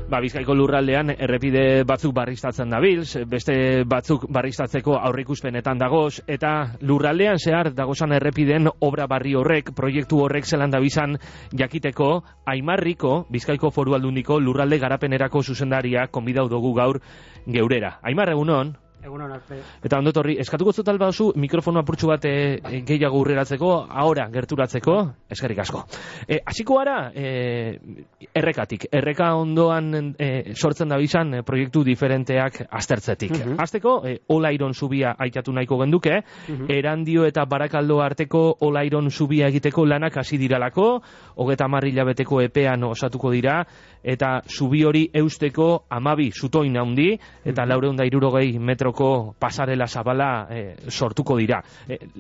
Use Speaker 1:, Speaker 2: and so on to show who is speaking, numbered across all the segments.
Speaker 1: Bizkaiko lurraldean errepide batzuk barriztatzen dabilz, beste batzuk barriztatzeko aurreikuspenetan dagoz, eta lurraldean zehar dagozan errepiden obra barri horrek, proiektu horrek zelan dabizan jakiteko, Aimarriko, Bizkaiko Foru Aldundiko lurralde garapenerako zuzendaria konbidau dugu gaur geurera. Aimar, egunon?
Speaker 2: Egunon, arte.
Speaker 1: Eta ondotorri, eskatuko zutal bauzu mikrofono apurtxu bat gehiago urreratzeko, ahora gerturatzeko, eskerrik asko. Hasiko gara, errekatik. Erreka ondoan sortzen da bizan proiektu diferenteak aztertzetik. Hasteko, Olairon zubia aitatu nahiko genduke, Erandio eta Barakaldo arteko Olairon zubia egiteko lanak hasi diralako, 30 hilabeteko epean osatuko dira, eta zubi hori eusteko 12 zutoin handi, eta 460 metroko pasarela zabala sortuko dira.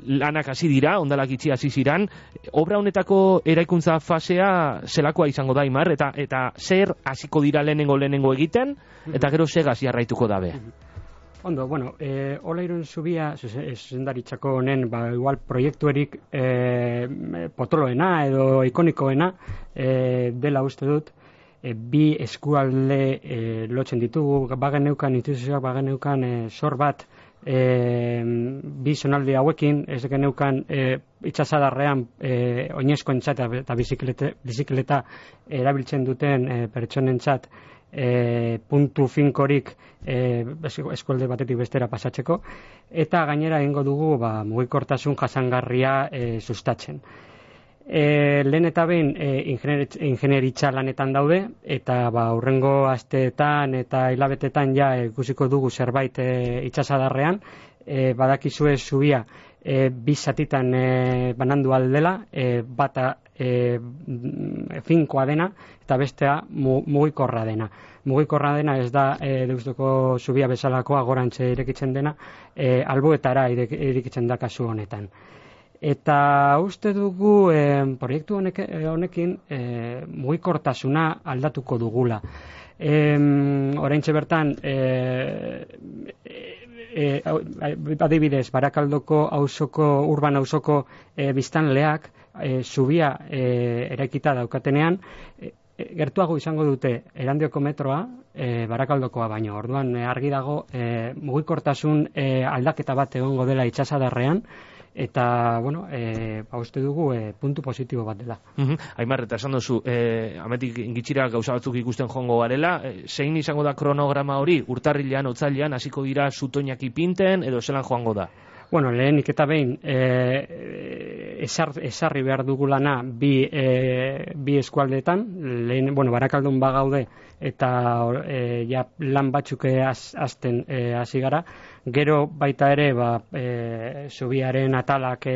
Speaker 1: Lanak hasi dira, ondalak itxi hasi ziran, obra honetako eraikuntza fasea zelakoa izango da, Aimar, eta zer hasiko dira lehenengo egiten, eta gero segaz jarraituko dabe.
Speaker 2: Ondo, bueno, Olairon zubia, zuzendaritzako honen, igual proiektuerik potoloena edo ikonikoena dela uste dut, bi eskualde lotzen ditugu, bageneukan, instituzioak bageneukan sor bat, bi zonalde hauekin, ez geneukan itxasadarrean oinezkoentzat eta bizikleta erabiltzen duten pertsonentzat puntu finkorik eskualde batetik bestera pasatzeko, eta gainera egingo dugu mugikortasun jasangarria sustatzen. Lehen eta behin ingenieritza lanetan daude, eta hurrengo asteetan eta hilabetetan ja ikusiko dugu zerbait itxasadarrean. Badakizue zubia bi zatitan banandu aldela, bata finkoa dena eta bestea mugikorra dena. Mugikorra dena ez da Deustuko zubia bezalakoa gorantze irekitzen dena, alboetara irekitzen da kasu honetan. Eta uste dugu proiektu honekin mugikortasuna aldatuko dugula. Oraintxe bertan, adibidez, Barakaldoko urban auzoko biztanleak zubia eraikita daukatenean, gertuago izango dute Erandioko metroa, Barakaldokoa baino. Orduan argi dago mugikortasun aldaketa bat egongo dela itxasadarrean, eta, bueno, uste dugu puntu positibo bat dela.
Speaker 1: Aimar, eta esan duzu, ametik gitxira gauza batzuk ikusten joango garela, zein izango da kronograma hori, urtarrilean, otzailean, hasiko dira zutoinak ipinten, edo zelan joango da?
Speaker 2: Bueno, lehenik eta behin, esarri behar dugulana bi eskualdeetan, Barakaldon bagaude, eta ja lan batzuk hasten hasi gara. Gero baita ere zubiaren atalak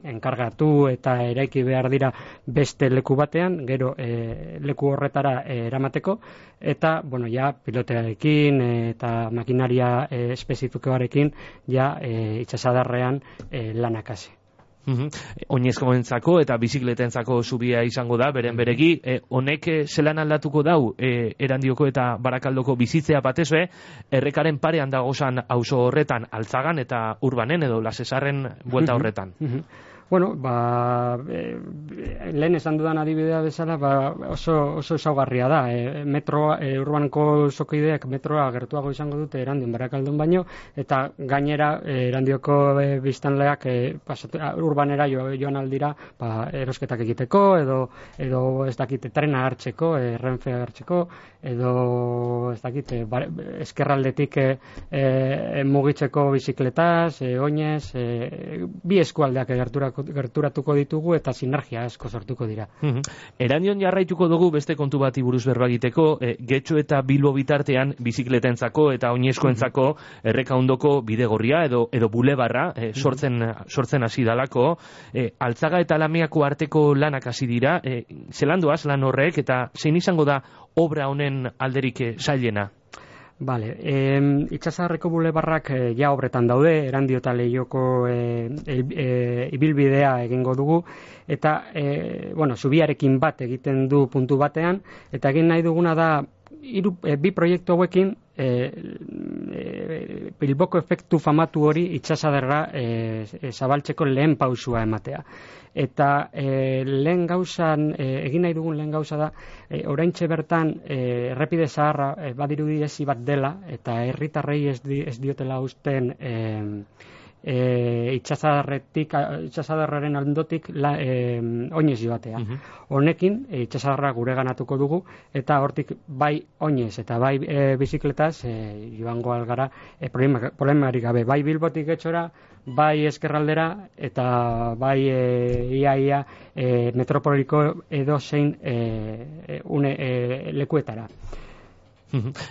Speaker 2: enkargatu eta eraiki behar dira beste leku batean, gero leku horretara eramateko, eta ja pilotearekin eta makinaria espezifikoarekin ja itxasadarrean lanak hasi.
Speaker 1: Oinezkoentzako eta bizikletentzako zubia izango da, beren beregi, honek zelan aldatuko dau Erandioko eta Barakaldoko bizitzea batezue, errekaren parean dagozan auzo horretan, Altzagan eta Urbanen edo Lasesarren buelta horretan.
Speaker 2: Bueno, lehen esan dudan adibidea bezala, oso ezaugarria da. Metroa, Urbaneko zokideak metroa gertuago izango dute Erandion Barakaldon baino, eta gainera Erandioko biztanleak Urbanera joan aldira erosketak egiteko, edo ez dakite trena hartzeko, Renfe hartzeko, edo ez dakite eskerraldetik mugitzeko bizikletaz, oinez, bi eskualdeak gerturatuko ditugu eta sinergia asko sortuko dira.
Speaker 1: Erandion jarraituko dugu beste kontu bati buruz berba egiteko, Getxo eta Bilbo bitartean bizikletentzako eta oinezkoentzako erreka ondoko bidegorria edo bulebarra sortzen hasi dalako, Altzaga eta Lamiako arteko lanak hasi dira, zelan doaz lan horrek eta zein izango da obra honen alderik zailena?
Speaker 2: Bale, itxasarreko bulebarrak ja obretan daude, Erandio eta Leioko ibilbidea egingo dugu, eta, zubiarekin bat egiten du puntu batean, eta egin nahi duguna da, bi proiektu hauekin Bilboko efektu famatu hori itsasadarra zabaltzeko lehen pausua ematea. Eta lehen gauzan, egin nahi dugun lehen gauza da, oraintxe bertan errepide zaharra badirudi ezi bat dela, eta herritarrei ez diotela usten itsasadarraren aldotik oinez joatea. Honekin itsasadarra gure ganatuko dugu, eta hortik bai oinez eta bai bizikletaz joango algara problemarik gabe. Bai Bilbotik Getxora, bai ezkerraldera, eta bai ia metropoliko edozein lekuetara.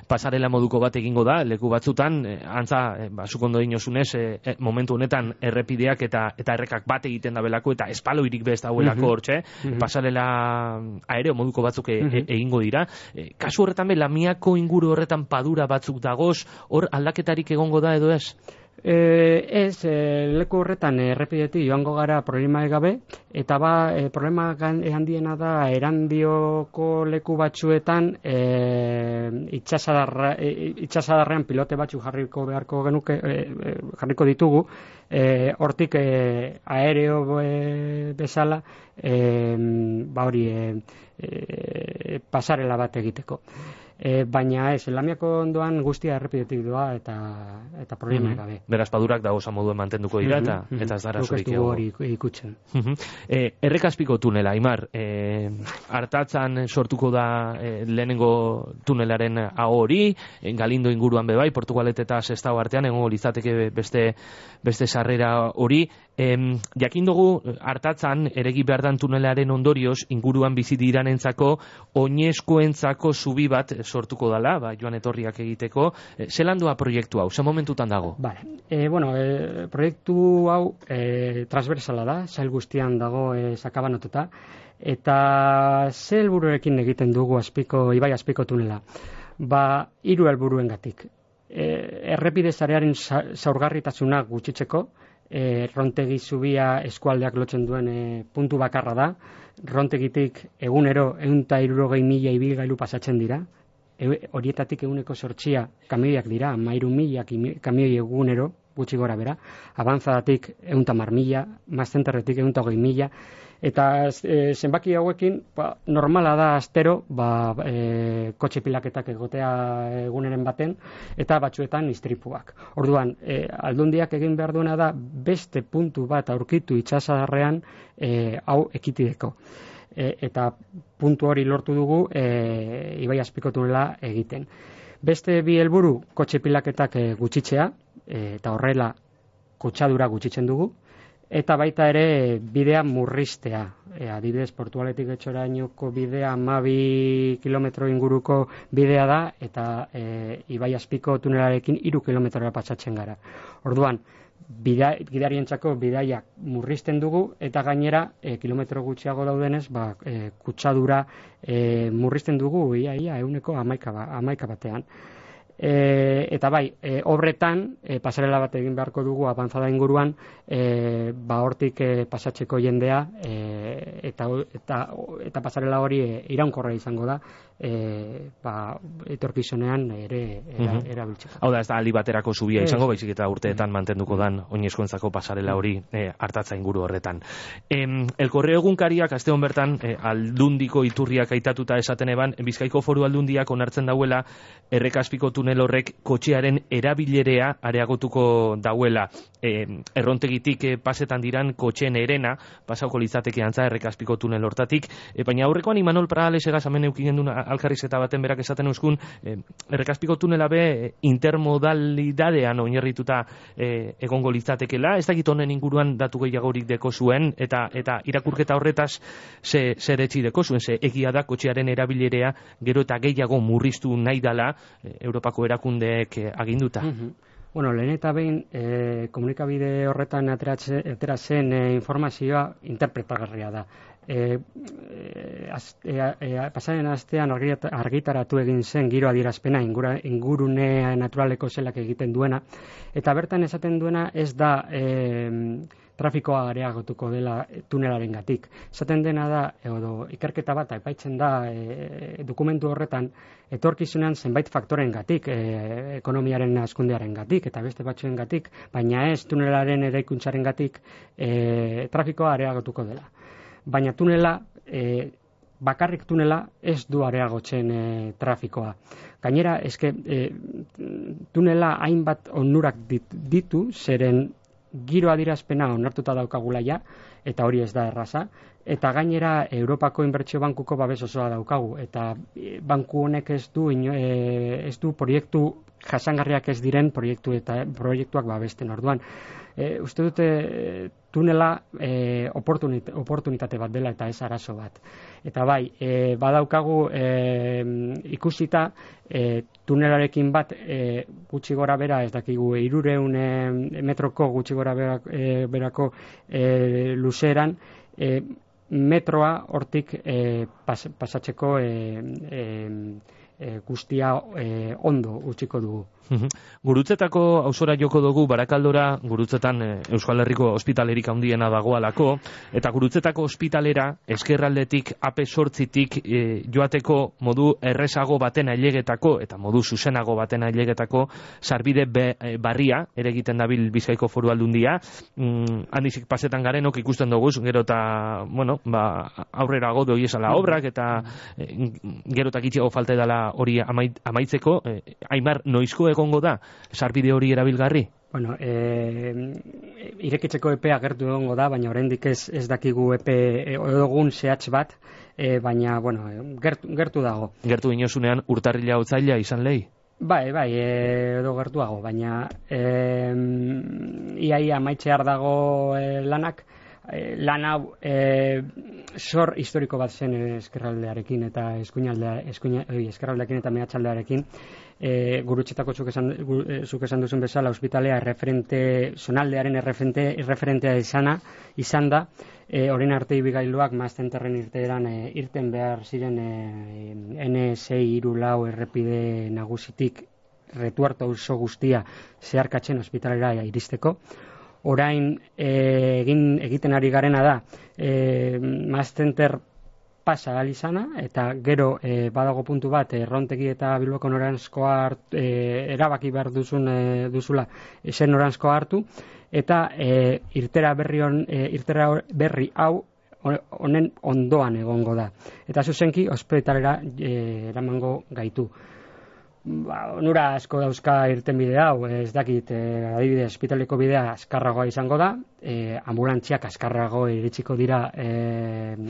Speaker 1: Pasarela moduko bat egingo da, leku batzutan, antza, zuk ondo dinosunez, momentu honetan errepideak eta errekak bat egiten da belako, eta espaloirik bez dauelako hortxe, pasarela aereo moduko batzuk egingo dira. Kasu horretan, Lamiako inguru horretan padura batzuk dagoz, hor aldaketarik egongo da edo ez?
Speaker 2: Ez, leku horretan errepidetik joango gara problema gabe, eta problema handiena da Erandioko leku batzuetan itsasadarrean pilote batzuk jarriko ditugu, hortik aereo bezala pasarela bat egiteko. Baina ez, Lamiako ondoan guztia errepidetik doa eta problema gabe.
Speaker 1: Beraz, padurak dago moduen mantenduko dira eta ez dara zurik ego.
Speaker 2: Hori ikutzen.
Speaker 1: Errekazpiko tunela, Aimar, Artatzan sortuko da lehenengo tunelaren aho hori, Galindo inguruan bebai, Portugalet eta Sestao artean, egongo litzateke beste sarrera hori. Jakin dugu Artatzan eregi behar dan tunelaren ondorioz inguruan bizi diranentzako oinezkoentzako zubi bat sortuko dala, joan etorriak egiteko. Zelan doa proiektu hau? Ze momentutan dago?
Speaker 2: Proiektu hau transversala da, sail guztian dago sakabanatuta, eta ze helburuekin egiten dugu Ibai Azpiko tunela? 3 helburuengatik. Errepide sarearen zaurgarritasuna gutxitzeko, Rontegi zubia eskualdeak lotzen duen puntu bakarra da. Rontegitik egunero 160.000 ibilgailu pasatzen dira. Horietatik 8% kamioiak dira, 13.000 kamioi egunero, gutxi gora bera. Abanzadatik 110.000, Mazzenterretik 120.000, eta zenbaki hauekin normala da astero kotxe pilaketak egotea eguneren baten, eta batzuetan istripuak. Orduan, Aldundiak egin behar duena da beste puntu bat aurkitu itsasadarrean hau ekitideko. Eta puntu hori lortu dugu Ibai Azpiko tunela egiten. Beste 2 helburu, kotxe pilaketak gutxitzea, eta horrela kutsadura gutxitzen dugu, eta baita ere bidea murriztea. Adibidez, Portugaletik Getxorainoko bidea 12 kilometro inguruko bidea da, eta Ibai Azpiko tunelarekin 3 kilometrora pasatzen gara. Orduan, gidarientzako bidaiak murrizten dugu, eta gainera kilometro gutxiago daudenez kutsadura murrizten dugu ia 11 batean. Eta bai, obretan pasarela bat egin beharko dugu abanzada inguruan, hortik pasatzeko jendea, eta pasarela hori iraunkorra izango da, etorkizunean ere erabiltzeko.
Speaker 1: Hau da, ez da aldi baterako zubia izango, baizik eta urteetan mantenduko dan oinezkoentzako pasarela hori Artatza inguru horretan. El Correo egunkariak aste hon bertan Aldundiko iturriak aitatuta esaten eban, Bizkaiko Foru Aldundiak onartzen dauela Errekazpiko tunel horrek kotxearen erabilerea areagotuko dauela. Errontegitik pasetan diran kotxeen erena pasauko litzateke antza Errekazpiko tunel hortatik, baina aurrekoan Imanol Pradales egaz hemen eukinen duen alkarrizketa baten berak esaten euskun, Errekazpiko tunela be intermodalidadean oinarrituta egongo litzatekela, ez dakit honen inguruan datu gehiagorik deko zuen, eta irakurketa horretaz zer etxi deko zuen, ze egia da kotxearen erabilerea gero eta gehiago murriztu nahi dala Europako erakundeek aginduta.
Speaker 2: Lehen eta behin komunikabide horretan atera zen informazioa interpretagarria da. Pasaren astean argitaratu egin zen giro adierazpena ingurune naturaleko zelak egiten duena, eta bertan esaten duena ez da trafikoa areagotuko dela tunelarengatik. Esaten dena da, edo ikerketa bat aipaitzen da dokumentu horretan, etorkizunean zenbait faktorengatik, ekonomiaren hazkundearengatik eta beste batzuengatik, baina ez tunelaren eraikuntzarengatik trafikoa areagotuko dela. Baina tunela, bakarrik tunela ez du areagotzen trafikoa. Gainera, eske tunela hainbat onurak ditu, zeren giro adierazpena onartuta daukagula ja, eta hori ez da erraza, eta gainera Europako Inbertsio Bankuko babes osoa daukagu, eta banku honek ez du proiektu jasangarriak ez diren proiektuak babesten orduan. Uste dute tunela oportunitate bat dela eta ez arazo bat. Eta bai, badaukagu ikusita tunelarekin bat gutxi gora bera, ez dakigu 300 metroko gutxi gora berako luzeran, metroa hortik pasatzeko guztia ondo utziko dugu.
Speaker 1: Gurutzetako auzora joko dugu Barakaldora, Gurutzetan Euskal Herriko ospitalerik handiena dagoalako, eta Gurutzetako ospitalera eskerraldetik AP8tik joateko modu errezago baten ailegetako eta modu zuzenago baten ailegetako sarbide barria ere egiten dabil Bizkaiko Foru Aldundia. Handizik pasetan garenok ikusten dugu, gero eta aurrera godo iesala obrak eta gero eta gitxiago falta edala hori amaitzeko. Aimar, noizko egongo da sarbide hori erabilgarri?
Speaker 2: Bueno, irekitzeko epea gertu egongo da, baina oraindik ez dakigu epe edogun zehatz bat, baina gertu dago.
Speaker 1: Gertu inozunean urtarrila otsaila izan lehi?
Speaker 2: Bai, edo gertuago, baina iaia amaitzear dago lanak. Lan hau sor historiko bat zen eskerraldearekin eta eskerraldearekin eta mehatxaldearekin. Gurutzetako zuk esan duzun bezala ospitalea zonaldearen erreferentea izan da. Orain arte ibigailuak Maastenterren irten behar ziren N634 errepide nagusitik Retuerto auzo guztia zeharkatzen ospitalera iristeko. Orain egiten ari garena da Maastenter pasa izana, eta gero badago puntu bat Errontegi eta Bilboko noranzkoa erabaki behar duzula zen noranzkoa hartu, eta irtera berri hau honen ondoan egongo da. Eta zuzenki ospitalera eramango gaitu. Onura asko dauzka irtenbide hau, ez dakit, adibidez, ospitaleko bidea azkarragoa izango da, ambulantziak azkarrago iritsiko dira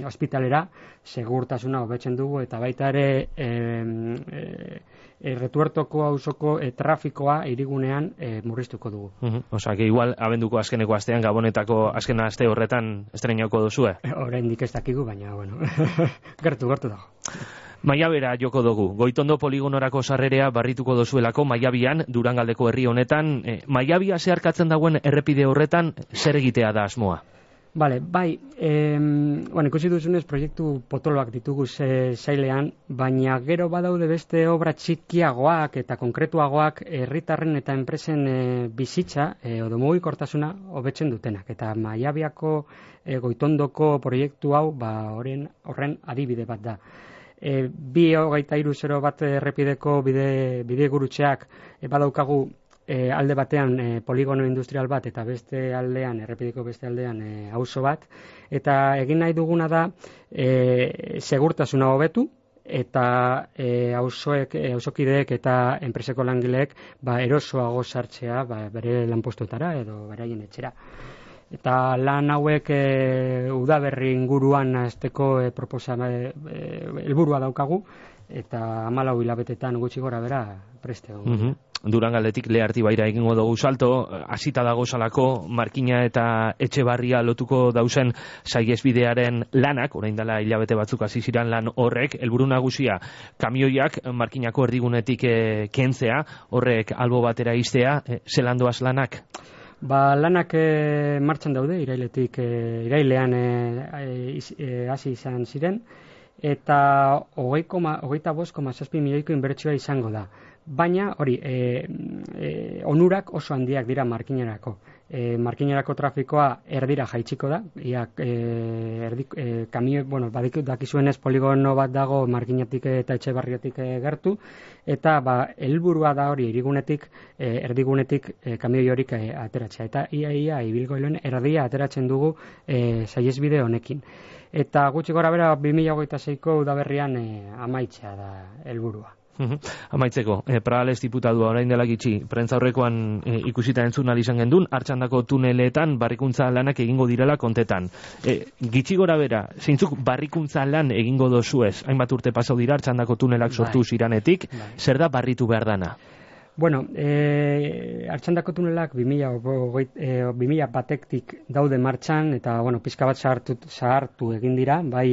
Speaker 2: ospitalera, segurtasuna hobetzen dugu, eta baita ere Retuertoko auzoko trafikoa hirigunean murriztuko dugu.
Speaker 1: Osa, que igual abenduko azkeneko astean, Gabonetako azken aste horretan estrenauko duzue?
Speaker 2: Oraindik ez dakigu, baina, gertu dago.
Speaker 1: Maiabera joko dugu. Goitondo poligonorako sarrerea barrituko dozuelako Maiabian, Durangaldeko herri honetan. Maiabia zeharkatzen dagoen errepide horretan, zer egitea da asmoa?
Speaker 2: Bai, ikusi duzunez proiektu potoloak ditugu sailean, baina gero badaude beste obra txikiagoak eta konkretuagoak herritarren eta enpresen bizitza edo mugikortasuna hobetzen dutenak. Eta Maiabiako Goitondoko proiektu hau horren adibide bat da. 223 bat errepideko bide gurutzeak badaukagu alde batean poligono industrial bat eta beste aldean, errepideko beste aldean auzo bat, eta egin nahi duguna da segurtasuna hobetu eta auzokideek eta enpreseko langileek erosoago sartzea bere lanpostuetara edo beraien etxera. Eta lan hauek udaberri inguruan hasteko helburua daukagu, eta 14 hilabetetan gutxi gora bera preste dugu.
Speaker 1: Durangaldetik Lehartibaira egingo dugu salto, hasita dago salako Markina eta Etxebarria lotuko dauzen saihesbidearen lanak, orain dela hilabete batzuk hasi ziren lan horrek, helburu nagusia kamioiak Markinako erdigunetik kentzea, horrek albo batera iztea, zelan doaz lanak?
Speaker 2: Lanak martxan daude, irailean hasi izan ziren, eta 25,7 milioiko inbertsioa izango da. baina hori onurak oso handiak dira markinerako. Markinerako trafikoa erdira jaitsiko da, kamio, dakizuenez poligono bat dago Markinetik eta Etxebarrietik gertu, eta helburua da hori erdigunetik kamioi horik ateratzea. Eta ia ibilgailuen erdia ateratzen dugu saihesbide honekin. Eta gutxi gora bera 2026ko udaberrian amaitzea da helburua.
Speaker 1: Amaitzeko, Pradales diputadua orain dela gitxi, prentza horrekoan ikusita entzun izan gendun, Artxandako tuneletan barrikuntza lanak egingo direla kontetan. Gitxi gora bera, zeintzuk barrikuntza lan egingo dozuez, hainbat urte pasau dira Artxandako tunelak sortu ziranetik, zer da barritu behar dana?
Speaker 2: Bueno, Artxandako tunelak 2001-tik daude martxan, eta pixka bat zahartu egin dira, bai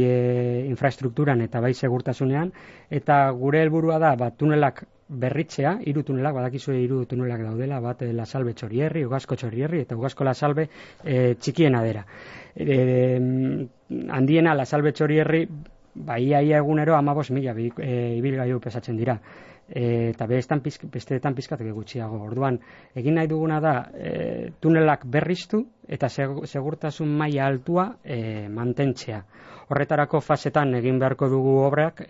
Speaker 2: infrastrukturan eta bai segurtasunean, eta gure helburua da tunelak berritzea, 3 tunelak, badakizue 3 tunelak daudela, bat La Salve Txorierri, Ugasko Txorierri eta Ugasko La Salve txikiena dera. Handiena La Salve Txorierri, ia egunero 15.000 ibilgailu pesatzen dira. Eta besteetan pizkatek gutxiago. Orduan, egin nahi duguna da tunelak berriztu eta segurtasun maila altua mantentzea. Horretarako fasetan egin beharko dugu obrak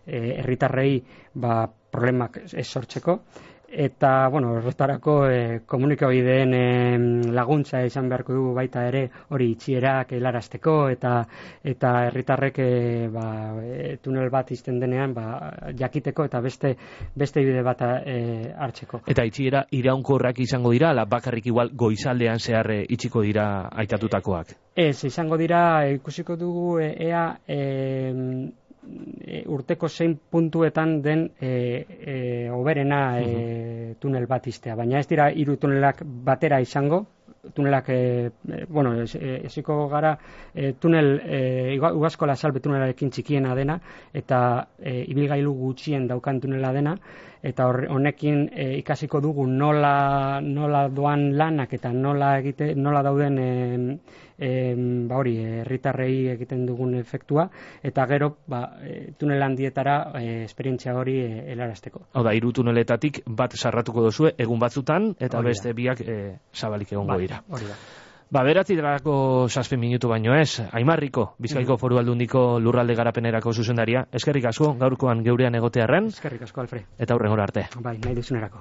Speaker 2: herritarrei problemak ez sortzeko. Eta, horretarako komunikabideen laguntza izan beharko dugu baita ere hori itxierak helarazteko eta herritarrek tunel bat izten denean jakiteko eta beste bide bat hartzeko.
Speaker 1: Eta itxiera iraunkorrak izango dira, ala bakarrik igual goizaldean zehar itxiko dira aitatutakoak?
Speaker 2: Ez, izango dira, ikusiko dugu ea urteko zein puntuetan den hoberena tunel bat iztea, baina ez dira 3 tunelak batera izango, tunelak, eziko gara tunel, Ugasko La Salve tunelarekin txikiena dena, eta ibilgailu gutxien daukan tunela dena, eta honekin ikasiko dugu nola doan lanak eta nola dauden herritarrei egiten dugun efektua, eta gero tunel handietara esperientzia hori helarazteko.
Speaker 1: Hau da, 3 tuneletatik bat sarratuko duzue egun batzutan, eta beste biak zabalik egongo dira.
Speaker 2: Hori da.
Speaker 1: 9:07 minutu baino ez, Aimarriko, Bizkaiko Foru Aldundiko lurralde garapenerako zuzendaria. Eskerrik asko, gaurkoan geurean egotearren.
Speaker 2: Eskerrik asko, Alfred.
Speaker 1: Eta hurrengora arte.
Speaker 2: Bai, nahi duzunerako.